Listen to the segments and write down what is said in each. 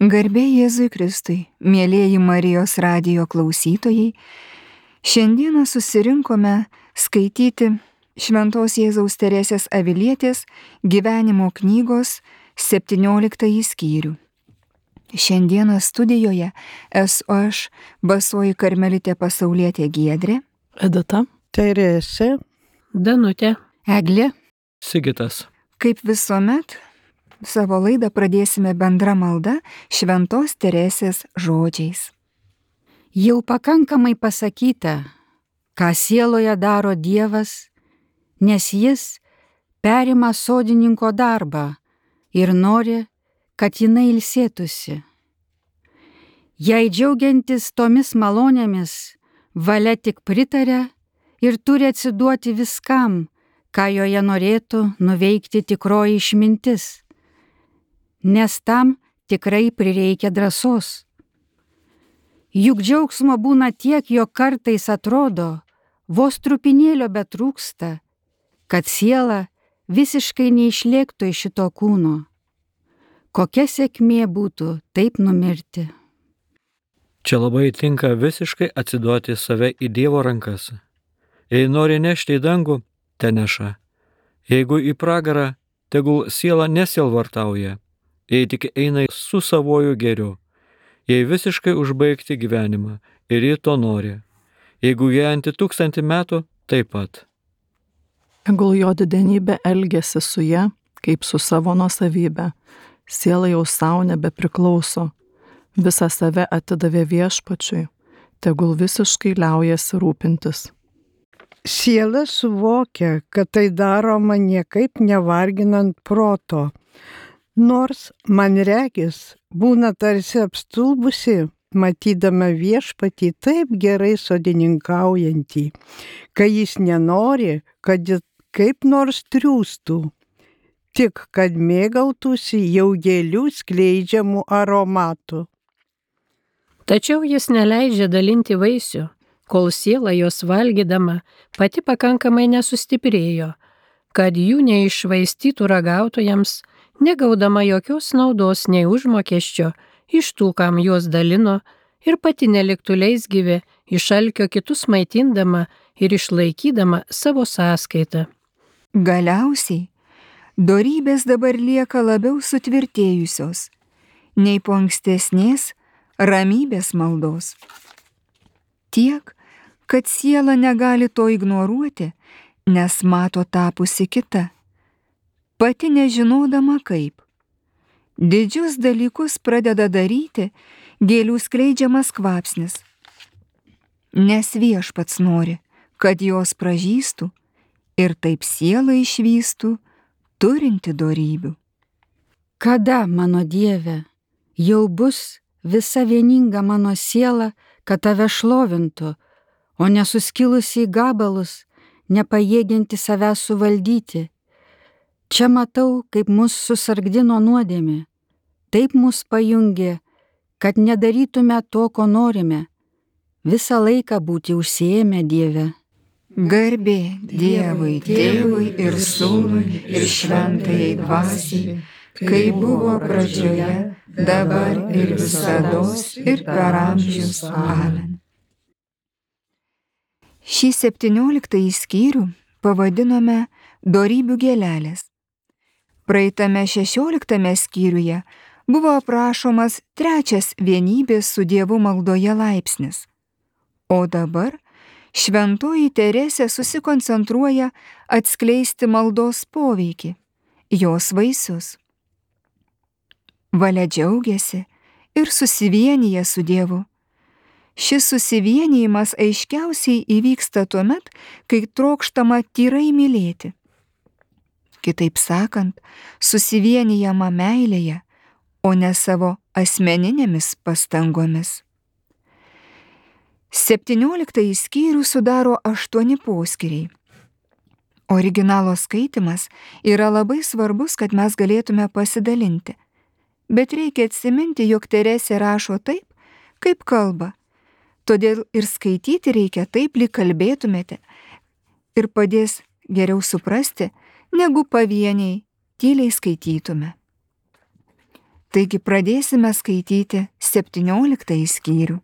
Garbė Jėzui Kristui, mielieji Marijos radijo klausytojai, šiandieną susirinkome skaityti Šventos Jėzaus Teresės Avilietės gyvenimo knygos 17 skyrių. Šiandieną studijoje esu aš, basoji karmelitė pasaulietė Giedrė, Edita, Teresė, Danutė, Eglė, Sigitas. kaip visuomet, savo laidą pradėsime bendra malda Šventos Teresės žodžiais. jau pakankamai pasakyta, ką sieloje daro Dievas, nes Jis perima sodininko darbą ir nori, kad jinai ilsėtųsi. Jei džiaugiantis tomis malonėmis, valia tik pritaria ir turi atsiduoti viskam, ką joje norėtų nuveikti tikroji išmintis, nes tam tikrai prireikia drąsos. Juk džiaugsmo būna tiek, jog kartais atrodo, vos trupinėlio betrūksta, kad siela visiškai neišlėktų iš šito kūno. Kokia sėkmė būtų taip numirti. Čia labai tinka visiškai atsiduoti save į Dievo rankas. Jei nori nešti į dangų, te neša. Jeigu į pragarą, tegul siela nesielvartauja, jei tik eina su savoju gėriu. Jei visiškai užbaigti gyvenimą ir ji to nori. Jeigu gyventi 1000 metų, taip pat. tegul jo didenybė elgiasi su ja, kaip su savo nuosavybė. Siela jau savo nebepriklauso. Visą save atidavė Viešpačiui. Tegul visiškai liaujasi rūpintis. Siela suvokia, kad tai daroma niekaip nevarginant proto. Nors man regis, būna tarsi apstulbusi, matydama Viešpatį taip gerai sodininkaujantį, kai jis nenori, kad jis kaip nors triūstų, tik kad mėgautųsi jau gėlių skleidžiamų aromatų. tačiau jis neleidžia dalinti vaisių, kol siela jos valgydama pati pakankamai nesustiprėjo, kad jų neiššvaistytų ragautojams, negaudama jokios naudos nei užmokesčio iš tų, kam juos dalino, ir pati neliktų leisgyvė, iš alkio kitus maitindama ir išlaikydama savo sąskaitą. Galiausiai, dorybės dabar lieka labiau sutvirtėjusios, nei po ankstesnės ramybės maldos. Tiek, kad siela negali to ignoruoti, nes mato tapusi kita, pati nežinodama kaip. Didžius dalykus pradeda daryti gėlių skleidžiamas kvapsnis, nes Viešpats nori, kad jos pražystų ir taip siela išvystų turinti dorybių. Kada, mano Dieve, jau bus visa vieninga mano siela, kad tave šlovintų, o nesuskilusi į gabalus, nepajėgianti savęs suvaldyti. Čia matau, kaip mus susargdino nuodėmė, taip mus pajungė, kad nedarytume to, ko norime, visą laiką būti užsiėmę Dieve. Garbė Dievui, Tėvui ir Sūnui ir Šventajai Dvasiai, kai buvo pradžioje, dabar ir visados ir per amžius. Amen. Šį 17 skyrių pavadinome Dorybių gėlelės. Praeitame 16 skyriuje buvo aprašomas trečias vienybės su Dievu maldoje laipsnis. O dabar Šventoji Teresė susikoncentruoja atskleisti maldos poveikį, jos vaisius. Valia džiaugiasi ir susivienyje su Dievu. Šis susivienijimas aiškiausiai įvyksta tuomet, kai trokštama tyrai mylėti. Kitaip sakant, susivienijama meilėje, o ne savo asmeninėmis pastangomis. 17 skyrių sudaro 8 poskyriai. Originalo skaitimas yra labai svarbus, kad mes galėtume pasidalinti. Bet reikia atsiminti, jog Teresė rašo taip, kaip kalba. Todėl ir skaityti reikia taip, lyg kalbėtumėte, ir padės geriau suprasti, negu pavieniai tyliai skaitytume. Taigi pradėsime skaityti 17 skyrių.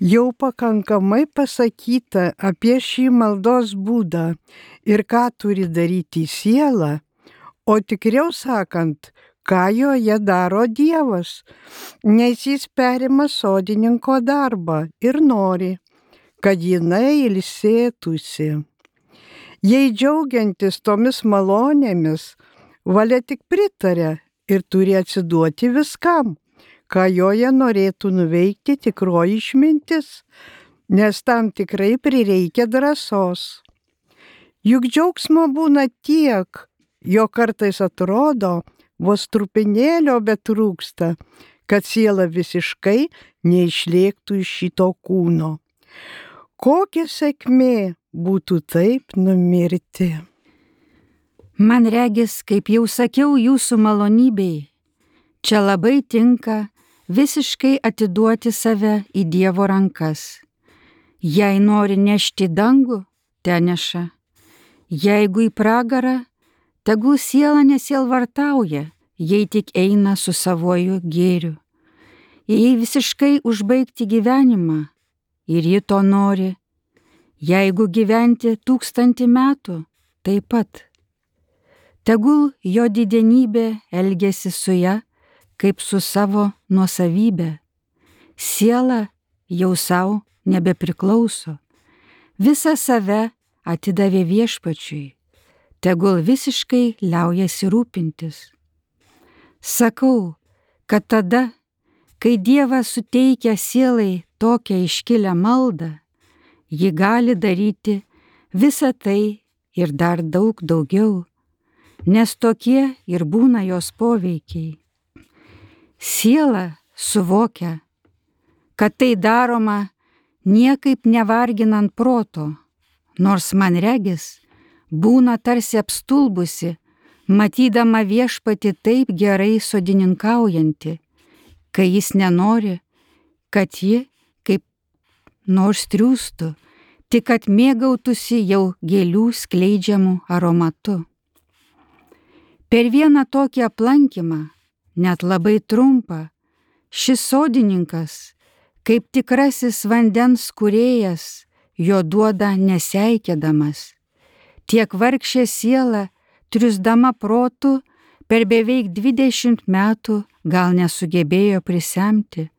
Jau pakankamai pasakyta apie šį maldos būdą ir ką turi daryti siela, o tikriau sakant, ką joje daro Dievas, nes jis perima sodininko darbą ir nori, kad jinai ilsėtųsi. Jei džiaugiantis tomis malonėmis, valia tik pritaria ir turi atsiduoti viskam, ką joje norėtų nuveikti tikroji išmintis, nes tam tikrai prireikia drąsos. Juk džiaugsmo būna tiek, jo kartais atrodo, vos trupinėlio betrūksta, kad siela visiškai neišlėktų iš šito kūno. Kokia sėkmė būtų taip numirti. Man regis, kaip jau sakiau jūsų malonybei, čia labai tinka visiškai atiduoti save į Dievo rankas. Jei nori nešti dangų, te neša. Jeigu į pragarą, tegul siela nesielvartauja, jei tik eina su savoju gėriu. Jei visiškai užbaigti gyvenimą, ir ji to nori, jeigu gyventi 1000 metų, taip pat. Tegul jo didenybė elgiasi su ja, kaip su savo nuosavybė. Siela jau savo nebepriklauso. Visą save atidavė Viešpačiui. Tegul visiškai liaujasi rūpintis. Sakau, kad tada, kai Dievas suteikia sielai tokią iškilę maldą, ji gali daryti visą tai ir dar daug daugiau, nes tokie ir būna jos poveikiai. Siela suvokia, kad tai daroma niekaip nevarginant proto, nors man regis, būna tarsi apstulbusi, matydama Viešpatį taip gerai sodininkaujantį, kai jis nenori, kad ji kaip nors triūstų, tik kad mėgautųsi jau gėlių skleidžiamų aromatu. Per vieną tokį aplankymą, net labai trumpą, šis sodininkas, kaip tikrasis vandens kūrėjas, jo duoda neseikėdamas. Tiek vargšė siela, triusdama protu, per beveik 20 metų gal nesugebėjo prisemti,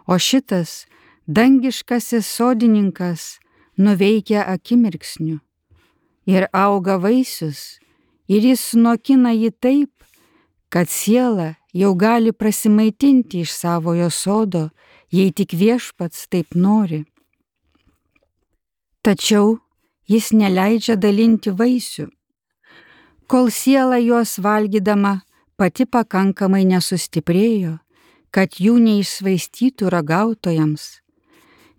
o šitas dangiškasis sodininkas nuveikia akimirksniu ir auga vaisius, ir jis sunokina jį taip, kad siela jau gali prasimaitinti iš savojo sodo, jei tik Viešpats taip nori. Tačiau jis neleidžia dalinti vaisių, kol siela juos valgydama pati pakankamai nesustiprėjo, kad jų neišsvaistytų ragautojams,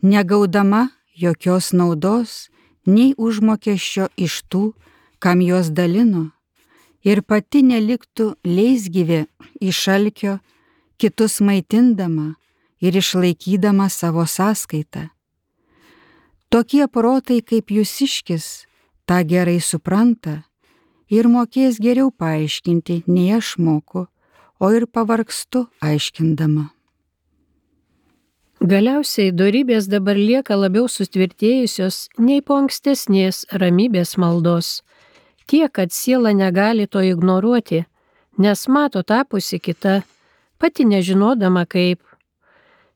negaudama jokios naudos, nei užmokesčio iš tų, kam jos dalino, ir pati neliktų leisgyvė iš alkio, kitus maitindama ir išlaikydama savo sąskaitą. Tokie protai kaip jūsiškis tą gerai supranta ir mokės geriau paaiškinti, nei aš moku, o ir pavargstu aiškindama. Galiausiai dorybės dabar lieka labiau sutvirtėjusios nei po ankstesnės ramybės maldos. Tiek, kad siela negali to ignoruoti, nes mato tapusi kita, pati nežinodama kaip.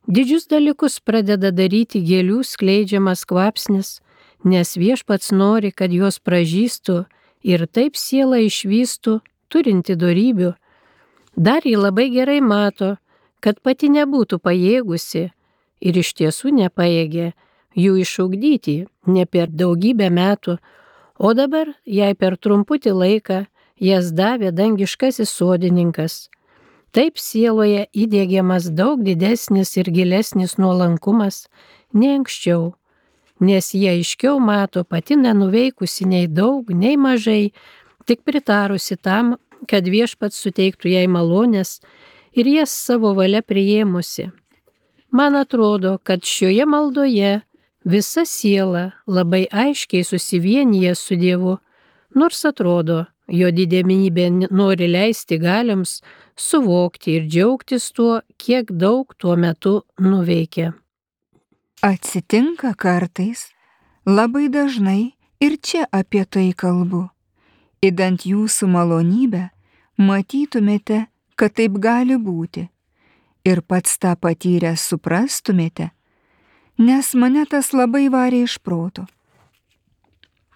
Didžius dalykus pradeda daryti gėlių skleidžiamas kvapsnis, nes Viešpats nori, kad jos pražystų ir taip siela išvystų, turinti dorybių. Dar ji labai gerai mato, kad pati nebūtų pajėgusi ir iš tiesų nepajėgė jų išugdyti ne per daugybę metų, o dabar jai per trumputį laiką jas davė dangiškasis sodininkas. Taip sieloje įdiegiamas daug didesnis ir gilesnis nuolankumas nei anksčiau, nes jie aiškiau mato pati nenuveikusi nei daug, nei mažai, tik pritarusi tam, kad Viešpats suteiktų jai malonės ir jas savo valia priėmusi. Man atrodo, kad šioje maldoje visa siela labai aiškiai susivienyje su Dievu, nors atrodo, jo didenybė nori leisti galioms suvokti ir džiaugtis tuo, kiek daug tuo metu nuveikė. Atsitinka kartais, labai dažnai ir čia apie tai kalbu. Idant jūsų malonybę matytumėte, kad taip gali būti. Ir pats tą patyrę suprastumėte, nes mane tas labai varė iš proto.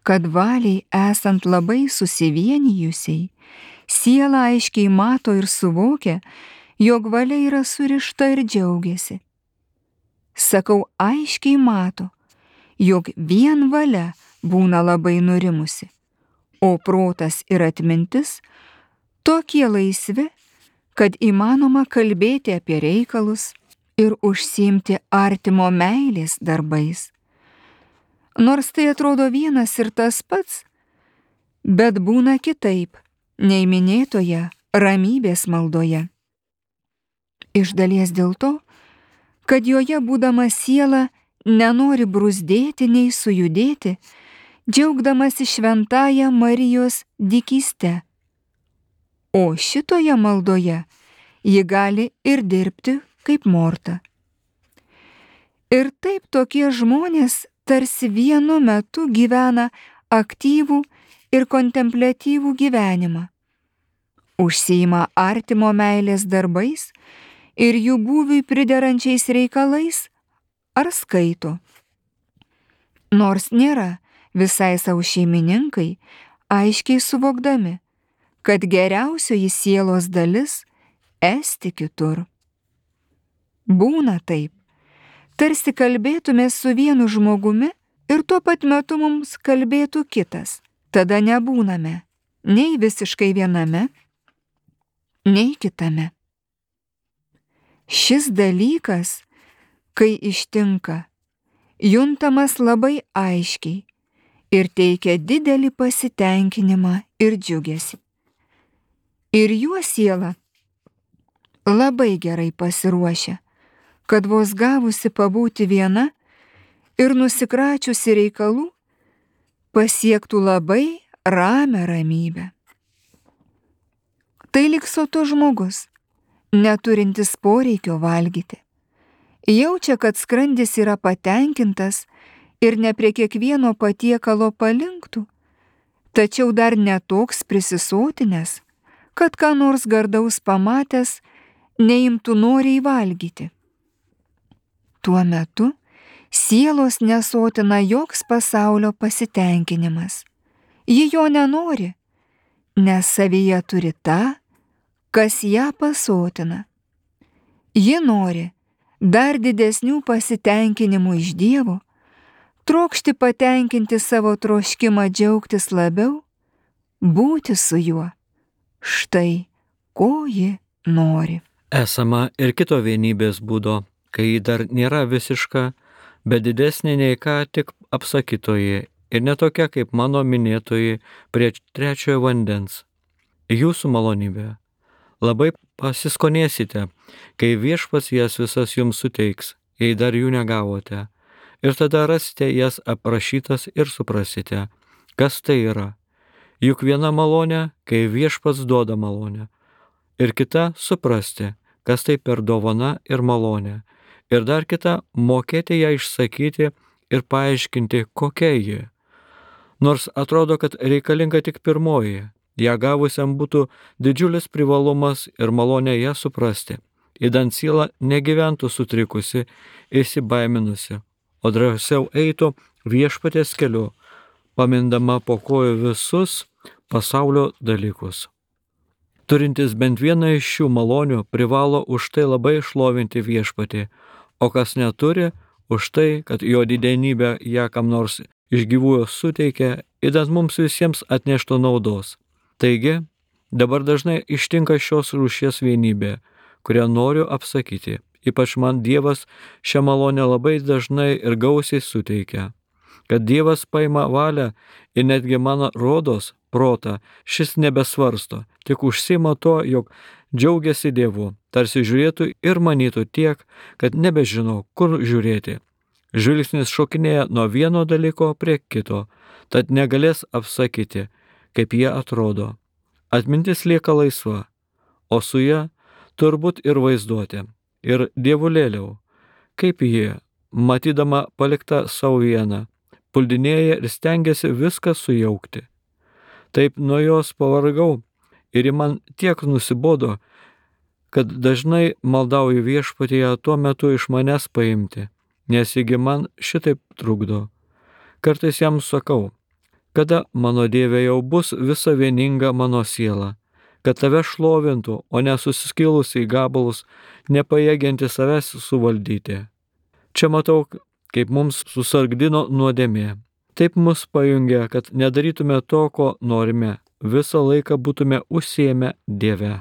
Kad valiai esant labai susivienijusiai, siela aiškiai mato ir suvokia, jog valia yra surišta ir džiaugiasi. Sakau, aiškiai mato, jog vien valia būna labai nurimusi, o protas ir atmintis tokie laisvi, kad įmanoma kalbėti apie reikalus ir užsiimti artimo meilės darbais. Nors tai atrodo vienas ir tas pats, bet būna kitaip nei minėtoje ramybės maldoje. Iš dalies dėl to, kad joje būdama siela nenori bruzdėti nei sujudėti, džiaugdamasi šventąją Marijos dykyste. O šitoje maldoje ji gali ir dirbti kaip Morta. Ir taip tokie žmonės tarsi vienu metu gyvena aktyvų ir kontempliatyvų gyvenimą, užsiima artimo meilės darbais ir jų būviui priderančiais reikalais ar skaito. Nors nėra visai savo šeimininkai, aiškiai suvokdami, kad geriausioji sielos dalis esti kitur. Būna taip, tarsi kalbėtume su vienu žmogumi ir tuo pat metu mums kalbėtų kitas. Tada nebūname nei visiškai viename, nei kitame. Šis dalykas, kai ištinka, juntamas labai aiškiai ir teikia didelį pasitenkinimą ir džiugesį. Ir juo siela labai gerai pasiruošia, kad vos gavusi pabūti viena ir nusikračiusi reikalų, pasiektų labai ramią ramybę. Tai lyg sotus žmogus, neturintis poreikio valgyti. Jaučia, kad skrandis yra patenkintas ir ne prie kiekvieno patiekalo palinktų, tačiau dar netoks prisisotinęs, kad ką nors gardaus pamatęs neimtų noriai valgyti. Tuo metu sielos nesotina joks pasaulio pasitenkinimas. Ji jo nenori, nes savyje turi tą, kas ją pasotina. Ji nori dar didesnių pasitenkinimų iš Dievo, trokšti patenkinti savo troškimą džiaugtis labiau, būti su juo. Štai, ko ji nori. Esama ir kito vienybės būdo, kai ji dar nėra visiška, bet didesnė nei ką tik apsakytoji ir netokia kaip mano minėtoji prie trečiojo vandens. Jūsų malonybė. Labai pasiskonėsite, kai Viešpats jas visas jums suteiks, jei dar jų negavote. Ir tada rasite jas aprašytas ir suprasite, kas tai yra. Juk viena malonė, kai Viešpats duoda malonę. Ir kita suprasti, kas tai per dovana ir malonė. Ir dar kita mokėti ją išsakyti ir paaiškinti, kokia ji. Nors atrodo, kad reikalinga tik pirmoji, ją gavusiam būtų didžiulis privalumas ir malonė ją suprasti, idant siela negyventų sutrikusi, įsibaiminusi, o drąsiau eitų Viešpaties keliu, pamindama po kojų visus pasaulio dalykus. Turintis bent vieną iš šių malonių privalo už tai labai šlovinti Viešpatį, o kas neturi, už tai, kad jo didenybė ją kam nors iš gyvųjų suteikia, idant mums visiems atneštų naudos. Taigi, dabar dažnai ištinka šios rūšies vienybė, kurią noriu apsakyti. Ypač man Dievas šią malonę labai dažnai ir gausiai suteikia. Kad Dievas paima valią ir netgi mano rodos protą, šis nebesvarsto, tik užsima to, jog džiaugiasi Dievu, tarsi žiūrėtų ir manytų tiek, kad nebežino, kur žiūrėti. Žvilgsnis šokinėja nuo vieno dalyko prie kito, tad negalės apsakyti, kaip jie atrodo. Atmintis lieka laisva, o su ja turbūt ir vaizduotė. Ir dievulėliau, kaip jie, matydama paliktą savo vieną, puldinėja ir stengiasi viską sujaukti. Taip nuo jos pavargau ir ji man tiek nusibodo, kad dažnai maldauju viešpatyje tuo metu iš manęs paimti, nes jigi man šitaip trukdo. Kartais jam sakau, kada mano Dieve jau bus visa vieninga mano siela, kad tave šlovintų, o nesuskilusi į gabalus, nepajėgianti savęs suvaldyti. Čia matau, kaip mums susargdino nuodėmė. Taip mus pajungia, kad nedarytume to, ko norime, visą laiką būtume užsiėmę Dieve.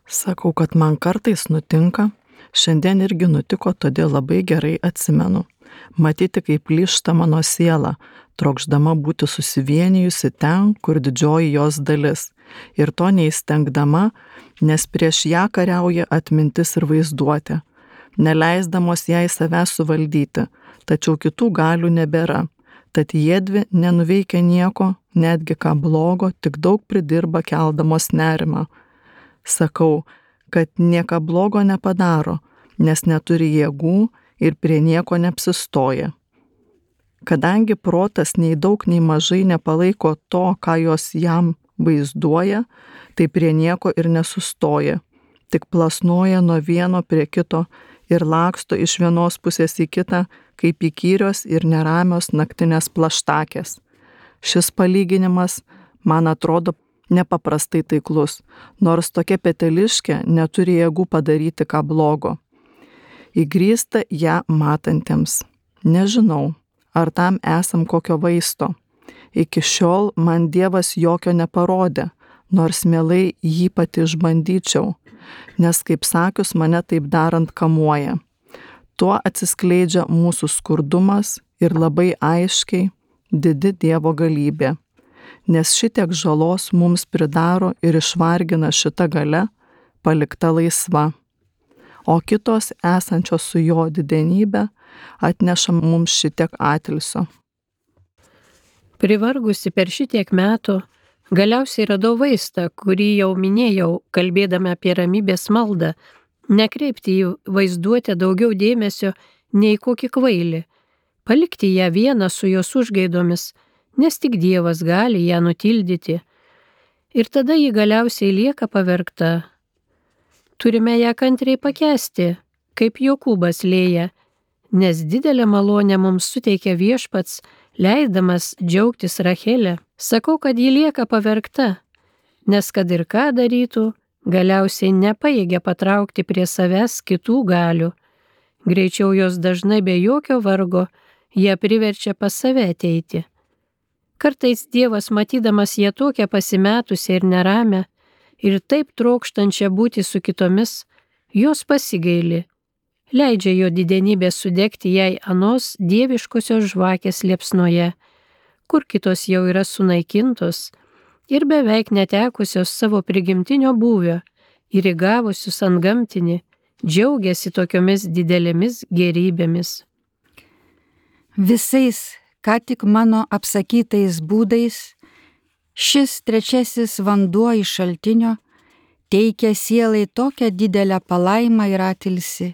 Sakau, kad man kartais nutinka, šiandien irgi nutiko, todėl labai gerai atsimenu. Matyti, kaip plyšta mano siela, trokšdama būti susivienijusi ten, kur didžioji jos dalis, ir to neįstengdama, nes prieš ją kariauja atmintis ir vaizduotė, neleisdamos jai savęs suvaldyti, tačiau kitų galių nebėra, tad jiedvi nenuveikia nieko, netgi ką blogo, tik daug pridirba keldamos nerimą. Sakau, kad nieko blogo nepadaro, nes neturi jėgų ir prie nieko neapsistoja. Kadangi protas nei daug nei mažai nepalaiko to, ką jos jam vaizduoja, tai prie nieko ir nesustoja, tik plasnoja nuo vieno prie kito ir laksto iš vienos pusės į kitą, kaip įkyrios ir neramios naktinės plaštakės. Šis palyginimas, man atrodo, nepaprastai taiklus, nors tokia peteliškė neturi jėgų padaryti ką blogo. Įgrįsta ją matantiems. Nežinau, ar tam esam kokio vaisto. Iki šiol man Dievas jokio neparodė, nors mielai jį pati išbandyčiau, nes, kaip sakius, mane taip darant kamuoja. Tuo atsiskleidžia mūsų skurdumas ir labai aiškiai didi Dievo galybė, nes šitiek žalos mums pridaro ir išvargina šita galia, palikta laisva, o kitos esančios su jo didenybė atneša mums šitiek atilsio. Privargusi per šitiek metų, galiausiai radau vaistą, kurį jau minėjau, kalbėdama apie ramybės maldą, nekreipti į vaizduotę daugiau dėmesio nei kokį kvailį, palikti ją vieną su jos užgaidomis, nes tik Dievas gali ją nutildyti. Ir tada ji galiausiai lieka pavergta. Turime ją kantriai pakęsti, kaip Jokūbas Lėja, nes didelę malonę mums suteikia viešpats, leisdamas džiaugtis Rachelę. Sakau, kad ji lieka pavergta, nes kad ir ką darytų, galiausiai nepajėgia patraukti prie savęs kitų galių. Greičiau jos dažnai be jokio vargo ją priverčia pas save ateiti. Kartais Dievas, matydamas ją tokią pasimetusią ir neramę, ir taip trokštančią būti su kitomis, jos pasigaili, leidžia jo didenybę sudegti jai anos dieviškosios žvakės liepsnoje, kur kitos jau yra sunaikintos ir beveik netekusios savo prigimtinio būvio ir įgavusius antgamtinį, džiaugiasi tokiomis didelėmis gerybėmis. Visais, ką tik mano apsakytais būdais, šis trečiasis vanduo iš šaltinio teikia sielai tokią didelę palaimą ir atilsį,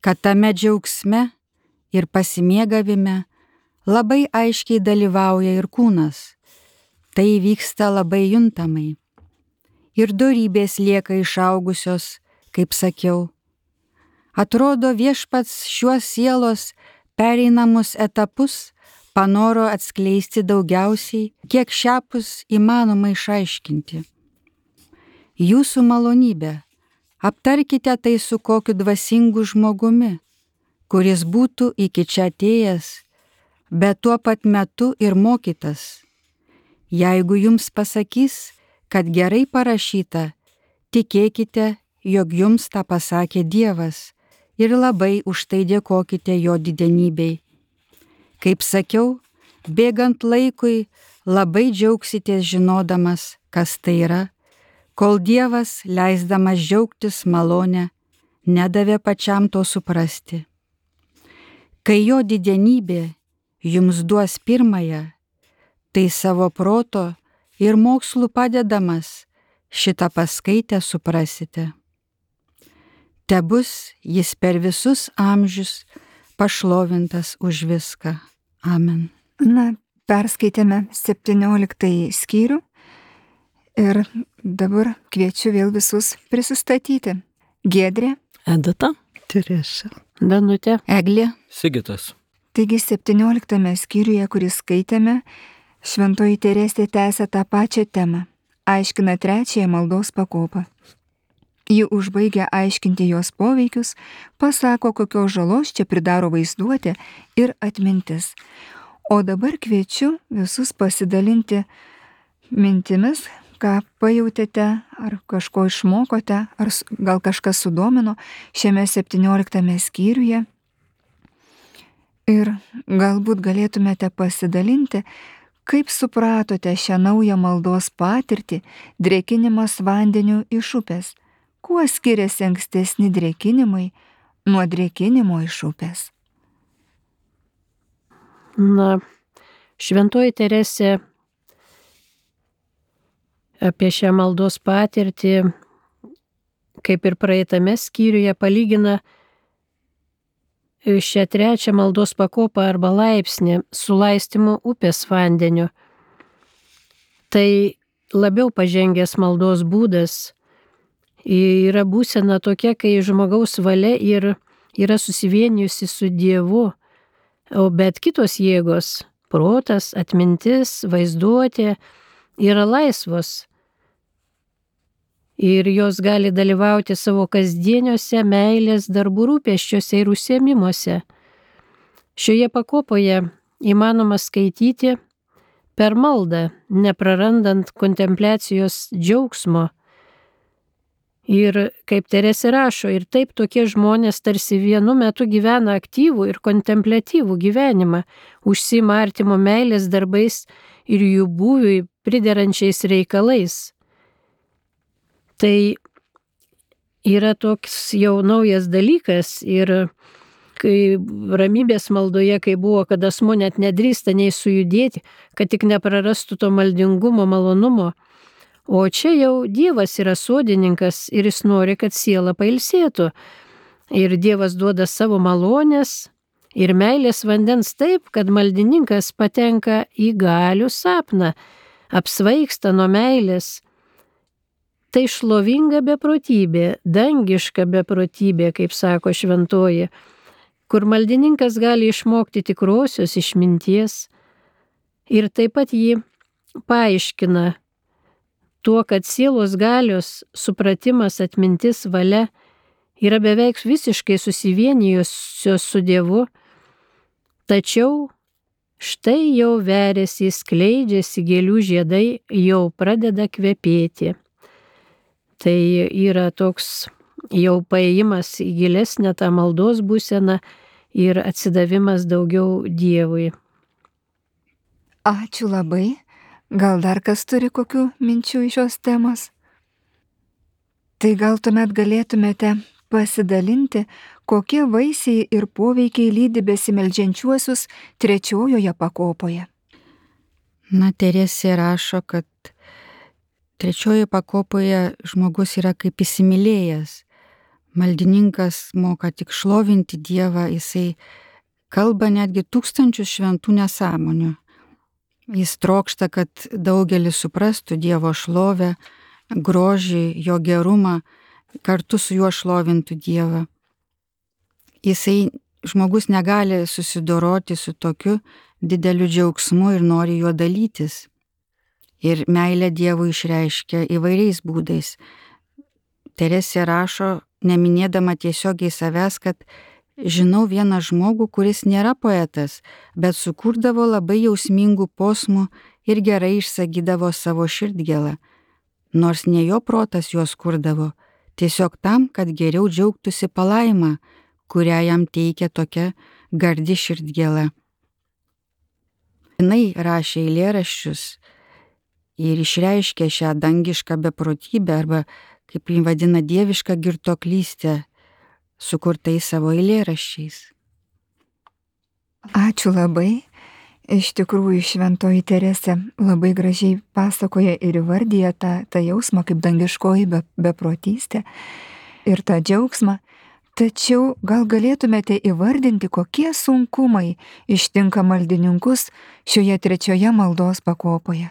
kad tame džiaugsme ir pasimėgavime labai aiškiai dalyvauja ir kūnas. Tai vyksta labai juntamai. Ir dorybės lieka išaugusios, kaip sakiau. Atrodo, viešpats šiuos sielos pereinamus etapus panoro atskleisti daugiausiai, kiek šiapus įmanoma išaiškinti. Jūsų malonybė, aptarkite tai su kokiu dvasingu žmogumi, kuris būtų iki čia atėjęs, bet tuo pat metu ir mokytas. Jeigu jums pasakys, kad gerai parašyta, tikėkite, jog jums tą pasakė Dievas ir labai už tai dėkokite jo didenybei. Kaip sakiau, bėgant laikui labai džiaugsitės žinodamas, kas tai yra, kol Dievas, leisdamas džiaugtis malonę, nedavė pačiam to suprasti. Kai jo didenybė jums duos pirmąją, tai savo proto ir mokslų padedamas šitą paskaitę suprasite. Tebus jis per visus amžius pašlovintas už viską. Amen. Na, perskaitėme 17 skyrių ir dabar kviečiu vėl visus prisistatyti. Giedrė, Edita, Teresa. Danutė. Eglė. Sigitas. taigi 17 skyriuje, kurį skaitėme, Šventoji Teresė tęsia tą pačią temą, aiškina 3 maldos pakopą. Ji užbaigia aiškinti jos poveikius, pasako, kokios žalos čia pridaro vaizduotė ir atmintis. O dabar kviečiu visus pasidalinti mintimis, ką pajautėte, ar kažko išmokote, ar gal kažkas sudomino šiame 17 skyriuje. Ir galbūt galėtumėte pasidalinti, kaip supratote šią naują maldos patirtį drėkinimas vandeniu iš upės. Kuo skiriasi ankstesni drėkinimai nuo drėkinimo iš upės? Na, Šventoji Teresė apie šią maldos patirtį, kaip ir praeitame skyriuje, palygina šią 3 maldos pakopą arba laipsnį su laistymu upės vandeniu. Tai labiau pažengęs maldos būdas, yra būsena tokia, kai žmogaus valia yra susivienijusi su Dievu, bet kitos jėgos, protas, atmintis, vaizduotė yra laisvos ir jos gali dalyvauti savo kasdieniuose meilės darbų rūpesčiuose ir užsiėmimuose. Šioje pakopoje įmanoma skaityti per maldą, neprarandant kontempliacijos džiaugsmo. Ir kaip Teresė rašo, ir taip tokie žmonės tarsi vienu metu gyvena aktyvų ir kontempliatyvų gyvenimą, užsiima artimo meilės darbais ir jų būviui priderančiais reikalais. Tai yra toks jau naujas dalykas ir kai ramybės maldoje, kai buvo, kad asmuo net nedrįsta nei sujudėti, kad tik neprarastų to maldingumo, malonumo. O čia jau Dievas yra sodininkas ir jis nori, kad siela pailsėtų. Ir Dievas duoda savo malonės ir meilės vandens taip, kad maldininkas patenka į galių sapną, apsvaigsta nuo meilės. Tai šlovinga beprotybė, dangiška beprotybė, kaip sako šventoji, kur maldininkas gali išmokti tikrosios išminties ir taip pat jį paaiškina tuo, kad sielos galios, supratimas, atmintis, valia yra beveik visiškai susivienijusios su Dievu, tačiau štai jau veriasi, skleidžiasi gėlių žiedai, jau pradeda kvepėti. Tai yra toks jau paėjimas į gilesnę tą maldos būseną ir atsidavimas daugiau Dievui. Ačiū labai. Gal dar kas turi kokių minčių iš šios temos? Tai gal tuomet galėtumėte pasidalinti, kokie vaisiai ir poveikiai lydi besimeldžiančiuosius 3 pakopoje. Na, Teresė rašo, kad 3 pakopoje žmogus yra kaip įsimylėjęs. Maldininkas moka tik šlovinti Dievą, jisai kalba netgi 1000 šventų nesąmonių. Jis trokšta, kad daugelis suprastų Dievo šlovę, grožį, jo gerumą, kartu su juo šlovintų Dievą. Žmogus negali susidoroti su tokiu dideliu džiaugsmu ir nori juo dalytis. Ir meilę Dievui išreiškia įvairiais būdais. Teresė rašo, neminėdama tiesiogiai savęs, kad žinau vieną žmogų, kuris nėra poetas, bet sukurdavo labai jausmingų posmų ir gerai išsakydavo savo širdgėlą, nors ne jo protas juos kurdavo, tiesiog tam, kad geriau džiaugtųsi palaima, kurią jam teikia tokia gardi širdgėla. Jinai rašė eilėraščius ir išreiškė šią dangišką beprotybę arba, kaip jį vadina, dievišką girtuoklystę, sukurtai savo eilėraščiais. Ačiū labai. Iš tikrųjų, šventoji Teresė labai gražiai pasakoja ir įvardyja tą jausmą kaip dangiškoji beprotystė ir tą džiaugsmą. Tačiau gal galėtumėte įvardinti, kokie sunkumai ištinka maldininkus šioje 3 maldos pakopoje?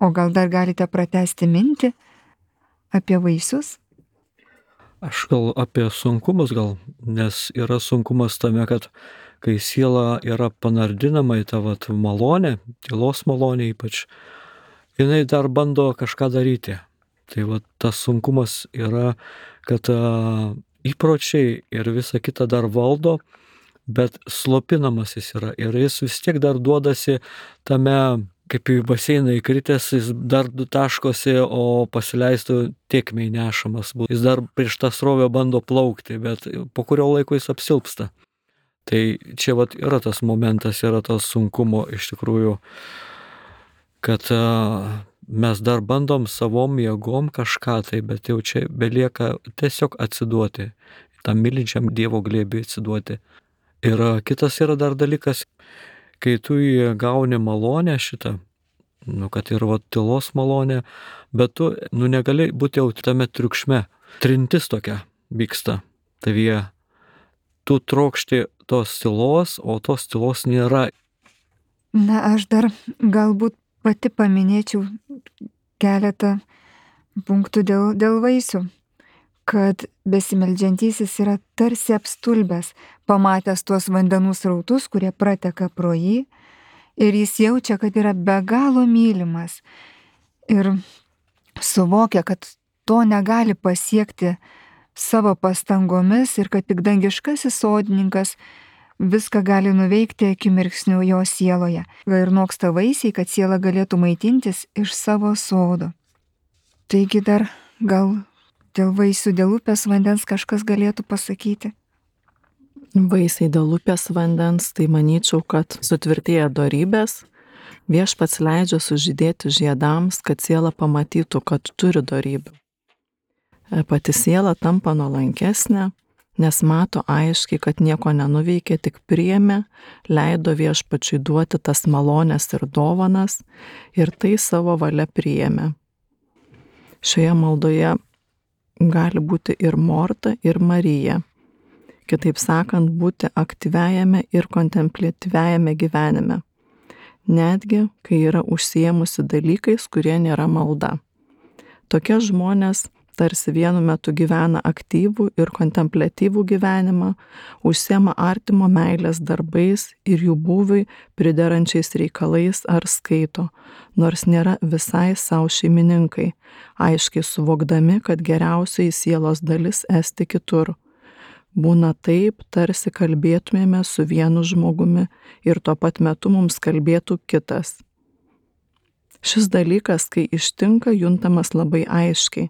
O gal dar galite pratęsti mintį apie vaisius? Aš gal apie sunkumus nes yra sunkumas tame, kad kai siela yra panardinama į tą malonę, tylos malonę ypač, jinai dar bando kažką daryti. Tai tas sunkumas yra, kad įpročiai ir visa kita dar valdo, bet slopinamas jis yra ir jis vis tiek dar duodasi tame, kaip į baseiną įkritęs, jis dar taškosi, o pasileistų tėkmei nešamas. Jis dar prieš tą srovę bando plaukti, bet po kurio laiko jis apsilpsta. Tai čia yra tas momentas, yra tas sunkumo iš tikrųjų, kad mes dar bandom savom jėgom kažką tai, bet jau čia belieka tiesiog atsiduoti, tam mylinčiam Dievo glėbiui atsiduoti. Ir kitas yra dar dalykas, kai tu gauni malonę šitą, kad ir tylos malonę, bet tu negali būti jau tame triukšme. Trintis tokia vyksta tavyje. Tu trokšti tos tylos, o tos tylos nėra. Na, aš dar galbūt pati paminėčiau keletą punktų dėl vaisių, kad besimeldžiantysis yra tarsi apstulbęs, pamatęs tuos vandenų srautus, kurie prateka pro jį, ir jis jaučia, kad yra be galo mylimas ir suvokia, kad to negali pasiekti savo pastangomis ir kad tik dangiškasis sodininkas viską gali nuveikti akimirksniu jo sieloje. Ir noksta vaisiai, kad siela galėtų maitintis iš savo sodo. Taigi dar gal dėl vaisių, dėl upės vandens kažkas galėtų pasakyti? Vaisiai dėl upės vandens, tai manyčiau, kad sutvirtėja dorybės, viešpats leidžia sužydėti žiedams, kad siela pamatytų, kad turi dorybių. Pati siela tampa nuolankesnė, nes mato aiškiai, kad nieko nenuveikė, tik priėmė, leido viešpačiui duoti tas malonės ir dovanas ir tai savo valia priėmė. Šioje maldoje gali būti ir Morta, ir Marija. Kitaip sakant, būti aktyviajame ir kontempliatyviajame gyvenime, netgi kai yra užsiėmusi dalykais, kurie nėra malda. Tokie žmonės tarsi vienu metu gyvena aktyvų ir kontempliatyvų gyvenimą, užsiema artimo meilės darbais ir jų būviui priderančiais reikalais ar skaito, nors nėra visai savo šeimininkai, aiškiai suvokdami, kad geriausiai sielos dalis esti kitur. Būna taip, tarsi kalbėtumėme su vienu žmogumi ir tuo pat metu mums kalbėtų kitas. Šis dalykas, kai ištinka, juntamas labai aiškiai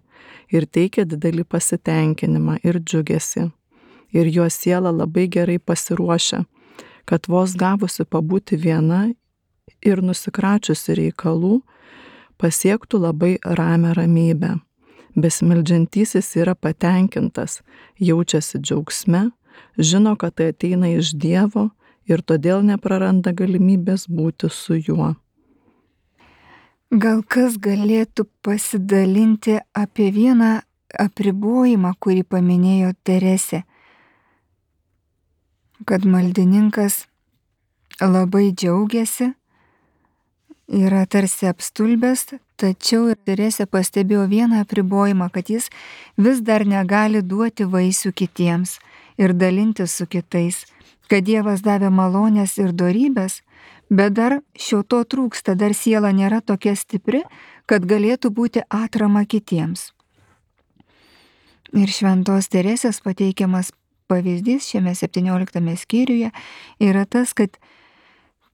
ir teikia didelį pasitenkinimą ir džiugesį. Ir jo siela labai gerai pasiruošia, kad vos gavusi pabūti viena ir nusikračiusi reikalų, pasiektų labai ramią ramybę. Besimeldžiantysis yra patenkintas, jaučiasi džiaugsme, žino, kad tai ateina iš Dievo ir todėl nepraranda galimybės būti su juo. Gal kas galėtų pasidalinti apie vieną apribojimą, kurį paminėjo Teresė, kad maldininkas labai džiaugiasi, yra tarsi apstulbęs, tačiau Teresė pastebėjo vieną apribojimą, kad jis vis dar negali duoti vaisių kitiems ir dalintis su kitais, kad Dievas davė malonės ir dorybės, bet dar šio to trūksta, dar siela nėra tokia stipri, kad galėtų būti atrama kitiems. Ir šventos Teresės pateikiamas pavyzdys šiame 17 skyriuje yra tas, kad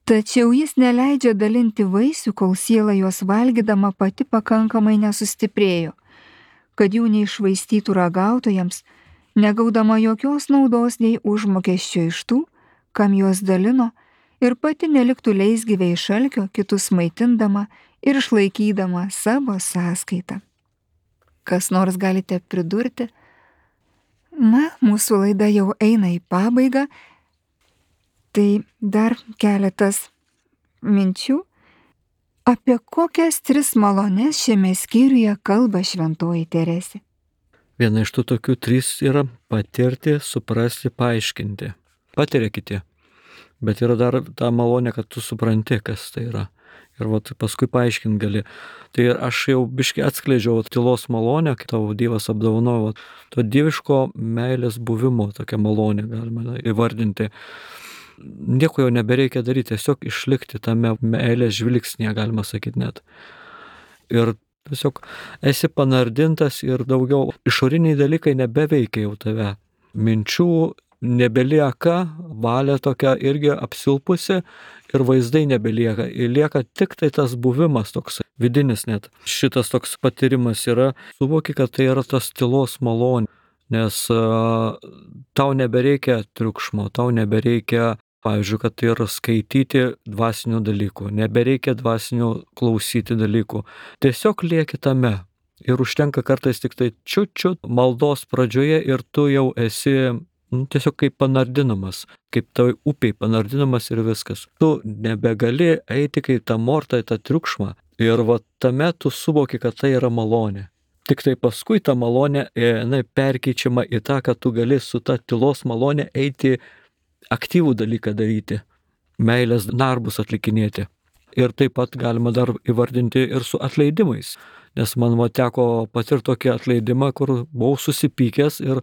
tačiau jis neleidžia dalinti vaisių, kol siela juos valgydama pati pakankamai nesustiprėjo, kad jų neišvaistytų ragautojams, negaudama jokios naudos nei užmokesčio iš tų, kam juos dalino, ir pati neliktų leisgyviai iš alkio, kitus maitindama ir išlaikydama savo sąskaitą. Kas nors galite pridurti? Na, mūsų laida jau eina į pabaigą. Tai dar keletas minčių. Apie kokias 3 malones šiame skyriuje kalba šventoji Teresė? Viena iš tų tokių 3 yra patirti, suprasti, paaiškinti. Patiria kiti. Bet yra dar ta malonė, kad tu supranti, kas tai yra. Ir paskui paaiškinti gali. Tai aš jau biškai atskleidžiau tylos malonę, kai tavo Dievas apdovanojo. To dieviško meilės buvimo tokia malonė galima įvardinti. Nieko jau nebereikia daryti, tiesiog išlikti tame meilės žvilgsnėje, galima sakyti net. Ir tiesiog esi panardintas ir daugiau išoriniai dalykai nebeveikia jau tave. Minčių nebelieka, valia tokia irgi apsilpusi ir vaizdai nebelieka. Ir lieka tik tai tas buvimas toks vidinis net. Šitas toks patyrimas yra, suvoki, kad tai yra tas tylos malonė, nes tau nebereikia triukšmo, tau nebereikia, pavyzdžiui, kad tai yra skaityti dvasinių dalykų, nebereikia dvasinių klausyti dalykų. Tiesiog lieki tame. Ir užtenka kartais tik tai čiut maldos pradžioje ir tu jau esi tiesiog kaip panardinamas, kaip toj upiai panardinamas ir viskas. Tu nebegali eiti kaip tą mortą, tą triukšmą ir tame tu suvoki, kad tai yra malonė. Tik tai paskui ta malonė perkeičiama į tą, kad tu gali su ta tylos malonė eiti aktyvų dalyką daryti, meilės darbus atlikinėti. Ir taip pat galima dar įvardinti ir su atleidimais. Nes man teko patirti tokį atleidimą, kur buvau susipykęs ir,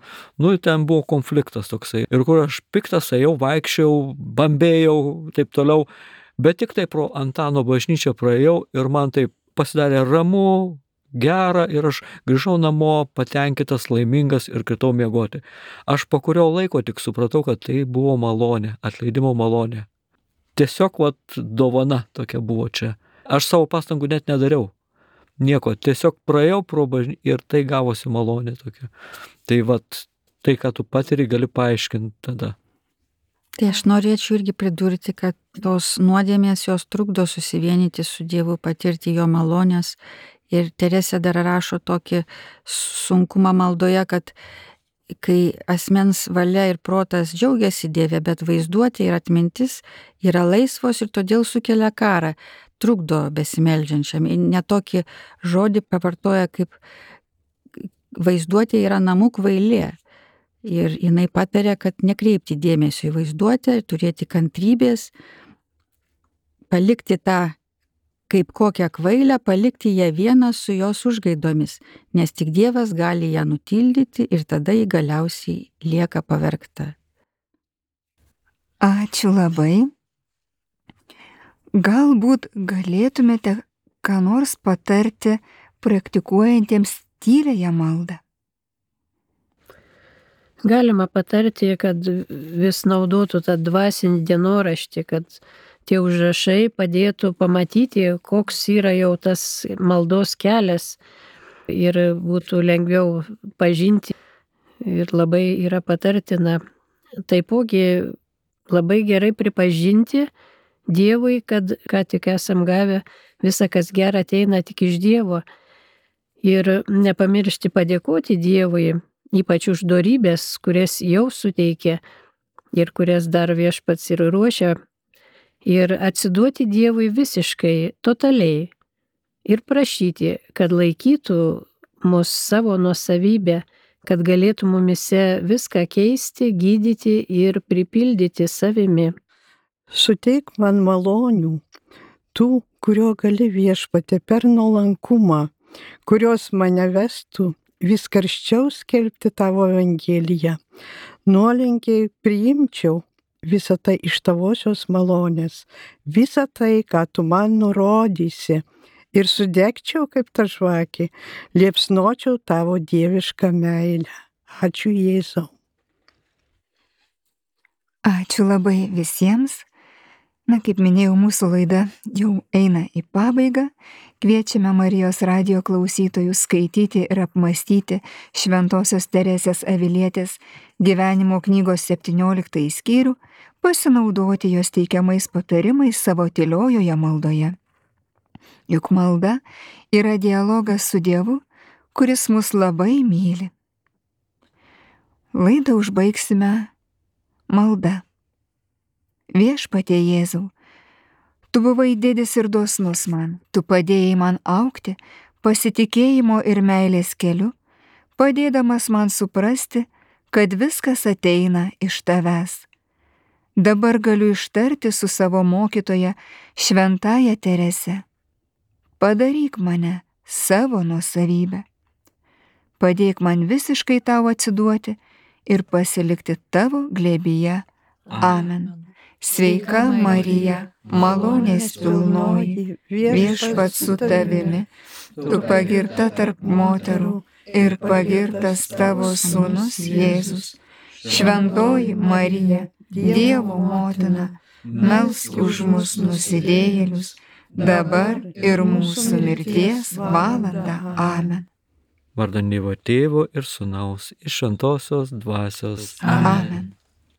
ten buvo konfliktas toksai. Ir kur aš piktas ėjau, vaikščiau, bambėjau, taip toliau. Bet tik tai pro Antano bažnyčią praėjau ir man taip pasidarė ramu, gera ir aš grįžau namo patenkintas, laimingas ir kritau miegoti. Aš po kurio laiko tik supratau, kad tai buvo malonė, atleidimo malonė. Tiesiog dovana tokia buvo čia. Aš savo pastangų net nedariau. Nieko, tiesiog praėjau pro bažnyčią ir tai gavosi malonė tokia. Tai tai, ką tu patiri, gali paaiškinti tada. Tai aš norėčiau irgi pridurti, kad tos nuodėmės jos trukdo susivienyti su Dievu, patirti jo malonės. Ir Teresė dar rašo tokį sunkumą maldoje, kad kai asmens valia ir protas džiaugiasi Dieve, bet vaizduotė ir atmintis yra laisvos ir todėl sukelia karą, trukdo besimeldžiančiam. Ne tokį žodį pavartoja, kaip vaizduotė yra namų kvailė. Ir jinai pataria, kad nekreipti dėmesio į vaizduotę, turėti kantrybės, palikti tą kaip kokią kvailę, palikti ją vieną su jos užgaidomis, nes tik Dievas gali ją nutildyti ir tada ji galiausiai lieka pavergta. Ačiū labai. Galbūt galėtumėte ką nors patarti praktikuojantiems tyliąją maldą? Galima patarti, kad vis naudotų tą dvasinį dienoraštį, kad tie užrašai padėtų pamatyti, koks yra jau tas maldos kelias ir būtų lengviau pažinti. Ir labai yra patartina. Taipogi labai gerai pripažinti Dievui, kad ką tik esam gavę, visa kas gera ateina tik iš Dievo. Ir nepamiršti padėkoti Dievui, ypač už dorybės, kurias jau suteikė ir kurias dar Viešpats ir ruošia. Ir atsiduoti Dievui visiškai, totaliai. Ir prašyti, kad laikytų mus savo nuosavybę, kad galėtų mumise viską keisti, gydyti ir pripildyti savimi. Suteik man malonių, tų, kurio gali Viešpatie per nuolankumą, kurios mane vestų vis karščiau skelbti tavo Evangeliją. Nuolankiai priimčiau visą tai iš tavosios malonės, visą tai, ką tu man nurodysi, ir sudegčiau kaip ta žvakė, liepsnočiau tavo dievišką meilę. Ačiū Jėzau. Ačiū labai visiems. Kaip minėjau, mūsų laida jau eina į pabaigą. Kviečiame Marijos radijo klausytojus skaityti ir apmąstyti Šventosios Teresės Avilietės gyvenimo knygos 17 skyrių, pasinaudoti jos teikiamais patarimais savo tyliojoje maldoje. Juk malda yra dialogas su Dievu, kuris mus labai myli. Laidą užbaigsime malda. Viešpatie Jėzau, tu buvai didis ir dosnus man, tu padėjai man augti pasitikėjimo ir meilės keliu, padėdamas man suprasti, kad viskas ateina iš tavęs. Dabar galiu ištarti su savo mokytoja Šventąja Terese: padaryk mane savo nuosavybę. Padėk man visiškai tau atsiduoti ir pasilikti tavo glėbyje. Amen. Sveika Marija, malonės pilnoji, Viešpats su tavimi, tu pagirta tarp moterų ir pagirtas tavo sūnus Jėzus. Šventoji Marija, Dievo motina, melsk už mus nusidėjėlius, dabar ir mūsų mirties valandą. Amen. Vardan Dievo Tėvo ir Sūnaus ir Šventosios Dvasios. Amen.